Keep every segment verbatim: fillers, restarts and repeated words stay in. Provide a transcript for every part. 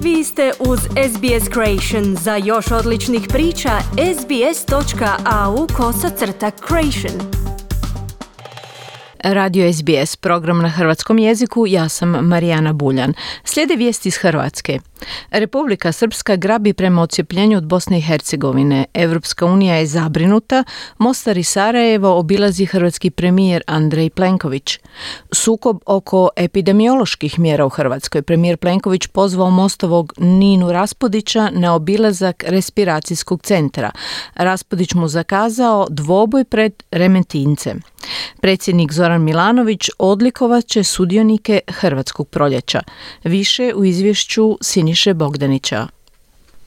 Vi ste uz S B S Creation. Za još odličnih priča, sbs.au kosacrta creation. Radio S B S, program na hrvatskom jeziku, ja sam Marijana Buljan. Slijede vijesti iz Hrvatske. Republika Srpska grabi prema odcjepljenju od Bosne i Hercegovine. Evropska unija je zabrinuta. Mostar i Sarajevo obilazi hrvatski premijer Andrej Plenković. Sukob oko epidemioloških mjera u Hrvatskoj. Premijer Plenković pozvao Mostovog Ninu Raspudića na obilazak respiracijskog centra. Raspudić mu zakazao dvoboj pred Remetincem. Predsjednik Zoran Milanović odlikovat će sudionike Hrvatskog proljeća. Više u izvješću Siniše Bogdanića.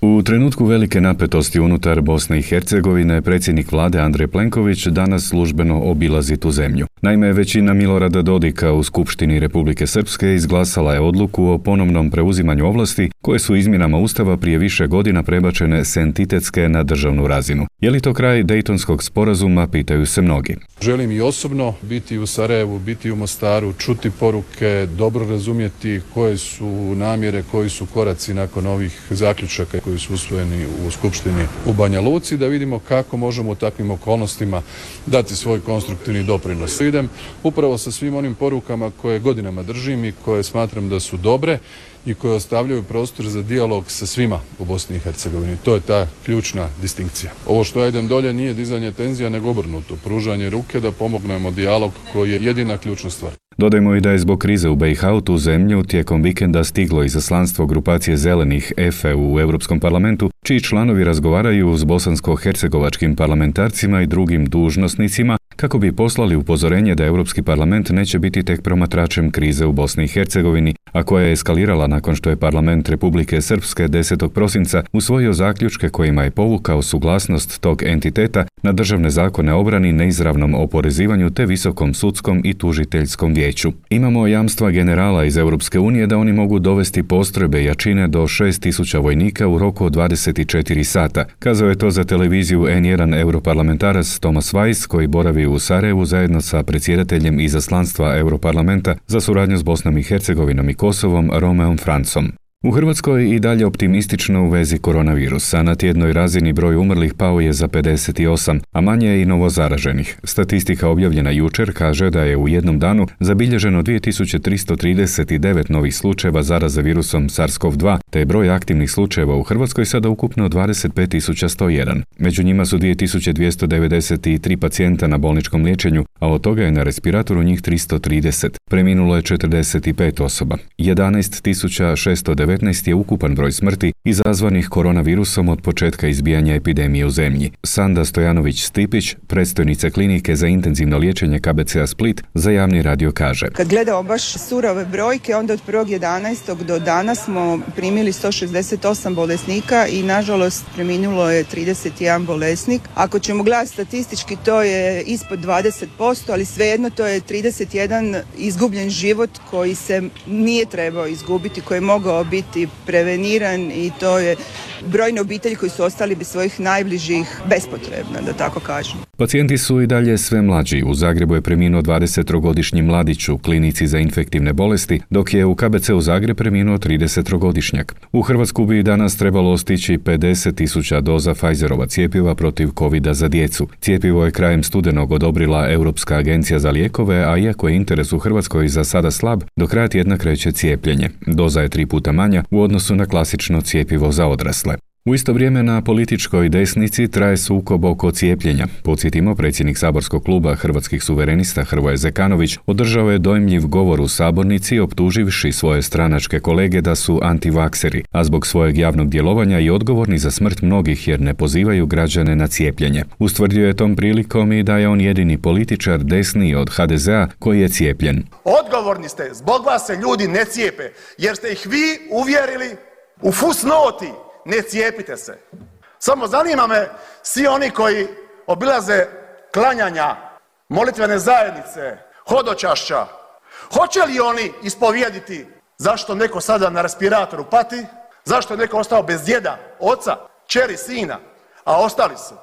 U trenutku velike napetosti unutar Bosne i Hercegovine, predsjednik vlade Andrej Plenković danas službeno obilazi tu zemlju. Naime, većina Milorada Dodika u Skupštini Republike Srpske izglasala je odluku o ponovnom preuzimanju ovlasti koje su izmjenama Ustava prije više godina prebačene s entitetske na državnu razinu. Je li to kraj Dejtonskog sporazuma, pitaju se mnogi. Želim i osobno biti u Sarajevu, biti u Mostaru, čuti poruke, dobro razumjeti koje su namjere, koji su koraci nakon ovih zaključaka koji su usvojeni u Skupštini u Banja Luci, da vidimo kako možemo u takvim okolnostima dati svoj konstruktivni doprinos. Idem upravo sa svim onim porukama koje godinama držim i koje smatram da su dobre i koje ostavljaju prostor za dijalog sa svima u Bosni i Hercegovini. To je ta ključna distinkcija. Ovo što ja idem dolje nije dizanje tenzija, nego obrnuto. Pružanje ruke da pomognemo dijalog koji je jedina ključna stvar. Dodajmo i da je zbog krize u B i H u tu zemlju tijekom vikenda stiglo izaslanstvo grupacije zelenih E F E u Europskom parlamentu, čiji članovi razgovaraju s bosansko-hercegovačkim parlamentarcima i drugim dužnosnicima kako bi poslali upozorenje da Europski parlament neće biti tek promatračem krize u Bosni i Hercegovini, a koja je eskalirala nakon što je parlament Republike Srpske desetog prosinca usvojio zaključke kojima je povukao suglasnost tog entiteta na državne zakone o obrani, neizravnom oporezivanju te visokom sudskom i tužiteljskom vijeću. Imamo jamstva generala iz Europske unije da oni mogu dovesti postrojbe jačine do šest tisuća vojnika u roku od dvadeset četiri sata. Kazao je to za televiziju N jedan europarlamentarac Thomas Weiss, koji boravi u Sarajevu zajedno sa predsjedateljem izaslanstva Europarlamenta za suradnju s Bosnom i Hercegovinom i Kosovom, Romeom Francom. U Hrvatskoj i dalje optimistično u vezi koronavirusa. Na tjednoj razini broj umrlih pao je za pedeset osam, a manje je i novozaraženih. Statistika objavljena jučer kaže da je u jednom danu zabilježeno dvije tisuće tristo trideset devet novih slučajeva zaraze virusom SARS-CoV dva, te je broj aktivnih slučajeva u Hrvatskoj sada ukupno dvadeset pet tisuća sto jedan. Među njima su dvije tisuće dvjesto devedeset tri pacijenta na bolničkom liječenju, a od toga je na respiratoru njih tristo trideset. Preminulo je četrdeset pet osoba. jedanaest tisuća šesto devetnaest je ukupan broj smrti izazvanih koronavirusom od početka izbijanja epidemije u zemlji. Sanda Stojanović-Stipić, predstojnica klinike za intenzivno liječenje K B C-a Split, za javni radio kaže: Kad gledamo baš surove brojke, onda od prvog jedanaestog do danas smo primili sto šezdeset osam bolesnika i nažalost preminulo je trideset jedan bolesnik. Ako ćemo gledati statistički, to je ispod dvadeset posto, ali svejedno to je trideset jedan izgubljen život koji se nije trebao izgubiti, koji je mogao biti preveniran, i to je brojne obitelji koji su ostali bez svojih najbližih bespotrebno, da tako kažem. Pacijenti su i dalje sve mlađi. U Zagrebu je preminuo dvadesettrogodišnji mladić u klinici za infektivne bolesti, dok je u K B C-u Zagreb preminuo tridesettrogodišnjak. U Hrvatsku bi danas trebalo stići pedeset tisuća doza Pfizerova cjepiva protiv covida za djecu. Cjepivo je krajem studenog odobrila Europska agencija za lijekove, a iako je interes u Hrvatskoj za sada slab, do kraja tjedna kreće cijepljenje. Doza je tri puta manja u odnosu na klasično cjepivo za odrasle. U isto vrijeme na političkoj desnici traje sukob oko cijepljenja. Podsjetimo, predsjednik saborskog kluba Hrvatskih suverenista Hrvoje Zekanović održao je dojmljiv govor u sabornici optuživši svoje stranačke kolege da su antivakseri, a zbog svojeg javnog djelovanja i odgovorni za smrt mnogih jer ne pozivaju građane na cijepljenje. Ustvrdio je tom prilikom i da je on jedini političar desniji od H D Z-a koji je cijepljen. Odgovorni ste, zbog vas se ljudi ne cijepe, jer ste ih vi uvjerili u fusnoti. Ne cijepite se. Samo zanima me svi oni koji obilaze klanjanja, molitvene zajednice, hodočašća, hoće li oni ispovijediti zašto neko sada na respiratoru pati, zašto je neko ostao bez djeda, oca, kćeri, sina, a ostali su?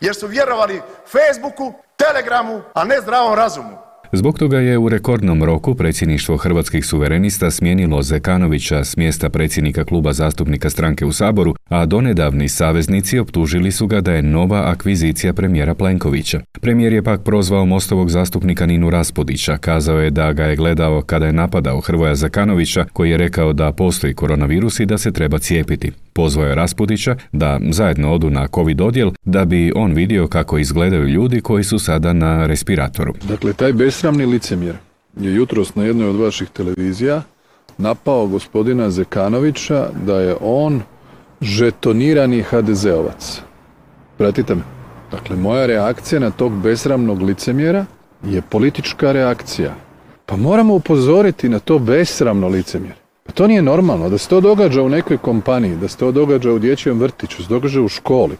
Jer su vjerovali Facebooku, Telegramu, a ne zdravom razumu. Zbog toga je u rekordnom roku predsjedništvo Hrvatskih suverenista smijenilo Zekanovića s mjesta predsjednika kluba zastupnika stranke u Saboru, a donedavni saveznici optužili su ga da je nova akvizicija premijera Plenkovića. Premijer je pak prozvao Mostovog zastupnika Ninu Raspudića, kazao je da ga je gledao kada je napadao Hrvoja Zekanovića, koji je rekao da postoji koronavirus i da se treba cijepiti. Pozvao je Raspudića da zajedno odu na COVID odjel da bi on vidio kako izgledaju ljudi koji su sada na respiratoru. Dakle, taj besramni licemjer je jutros na jednoj od vaših televizija napao gospodina Zekanovića da je on žetonirani ha de zeovac. Pratite me. Dakle, moja reakcija na tog besramnog licemjera je politička reakcija. Pa moramo upozoriti na to besramno licemjer. Pa to nije normalno, da se to događa u nekoj kompaniji, da se to događa u dječjem vrtiću, da se događa u školi.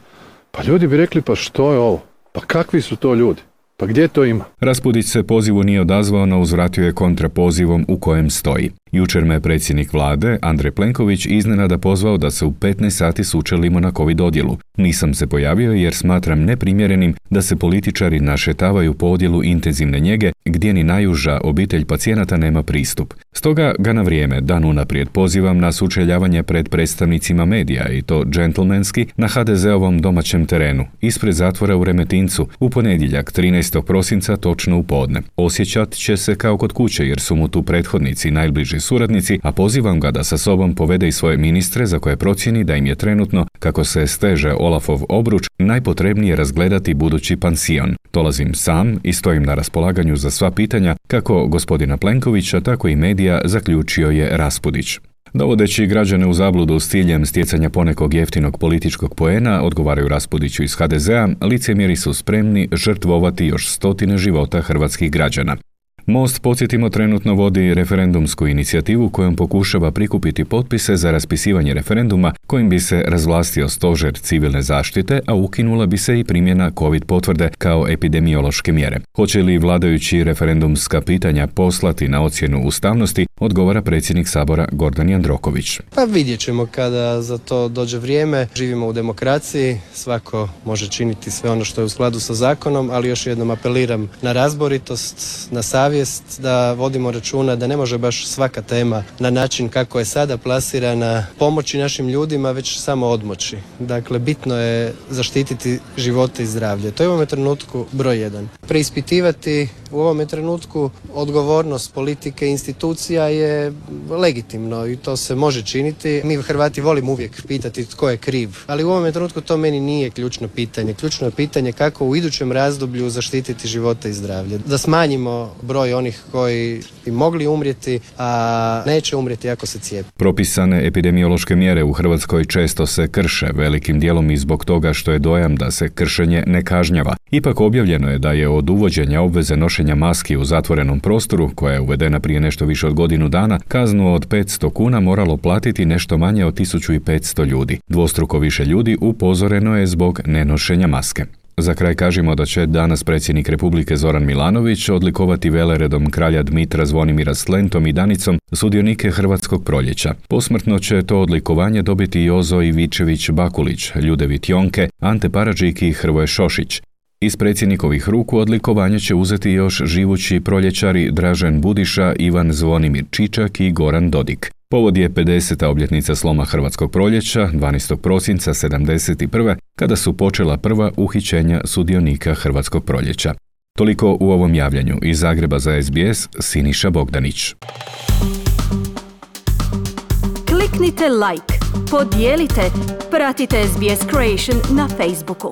Pa ljudi bi rekli, pa što je ovo? Pa kakvi su to ljudi? Pa gdje to ima? Raspudić se pozivu nije odazvao, no uzvratio je kontrapozivom u kojem stoji. Jučer me predsjednik vlade, Andrej Plenković, iznenada pozvao da se u petnaest sati sučelimo na COVID odjelu. Nisam se pojavio jer smatram neprimjerenim da se političari našetavaju po odjelu intenzivne njege gdje ni najuža obitelj pacijenata nema pristup. Stoga ga na vrijeme, dan unaprijed, pozivam na sučeljavanje pred predstavnicima medija i to džentlmenski na ha de zeovom domaćem terenu, ispred zatvora u Remetincu, u ponedjeljak trinaestog prosinca točno u podne. Osjećat će se kao kod kuće jer su mu tu prethodnici najbliži suradnici, a pozivam ga da sa sobom povede i svoje ministre za koje procijeni da im je trenutno, kako se steže Olafov obruč, najpotrebnije razgledati budući pansion. Dolazim sam i stojim na raspolaganju za sva pitanja, kako gospodina Plenkovića, tako i medija, zaključio je Raspudić. Dovodeći građane u zabludu s ciljem stjecanja ponekog jeftinog političkog poena, odgovaraju Raspudiću iz ha de zea, licemjeri su spremni žrtvovati još stotine života hrvatskih građana. Most, podsjetimo, trenutno vodi referendumsku inicijativu kojom pokušava prikupiti potpise za raspisivanje referenduma kojim bi se razvlastio stožer civilne zaštite, a ukinula bi se i primjena COVID potvrde kao epidemiološke mjere. Hoće li vladajući referendumska pitanja poslati na ocjenu ustavnosti, odgovara predsjednik Sabora Gordan Jandroković. Pa vidjet ćemo kada za to dođe vrijeme. Živimo u demokraciji, svako može činiti sve ono što je u skladu sa zakonom, ali još jednom apeliram na razboritost, na savjest, da vodimo računa da ne može baš svaka tema na način kako je sada plasirana pomoći našim ljudima, već samo odmoći. Dakle, bitno je zaštititi živote i zdravlje. To je u ovome trenutku broj jedan. Preispitivati u ovome trenutku odgovornost politike i institucija je legitimno i to se može činiti. Mi Hrvati volimo uvijek pitati tko je kriv, ali u ovome trenutku to meni nije ključno pitanje. Ključno je pitanje kako u idućem razdoblju zaštititi živote i zdravlje. Da smanjimo broj onih koji bi mogli umrijeti, a neće umrijeti ako se cijepe. Propisane epidemiološke mjere u Hrvatskoj često se krše, velikim dijelom i zbog toga što je dojam da se kršenje ne kažnjava. Ipak objavljeno je da je od uvođenja obveze nošenja maski u zatvorenom prostoru, koja je uvedena prije nešto više od godinu dana, kaznu od petsto kuna moralo platiti nešto manje od tisuću petsto ljudi. Dvostruko više ljudi upozoreno je zbog nenošenja maske. Za kraj kažemo da će danas predsjednik Republike Zoran Milanović odlikovati veleredom kralja Dmitra Zvonimira s lentom i danicom sudionike Hrvatskog proljeća. Posmrtno će to odlikovanje dobiti Jozo Ivičević Bakulić, Ljudevit Jonke, Ante Paradžik i Hrvoje Šošić. Iz predsjednikovih ruku odlikovanje će uzeti još živući proljećari Dražen Budiša, Ivan Zvonimir Čičak i Goran Dodik. Povod je pedeseta obljetnica sloma Hrvatskog proljeća, dvanaestog prosinca sedamdeset prve, kada su počela prva uhićenja sudionika Hrvatskog proljeća. Toliko u ovom javljanju. Iz Zagreba za es be es, Siniša Bogdanić. Kliknite like, podijelite, pratite es be es Creation na Facebooku.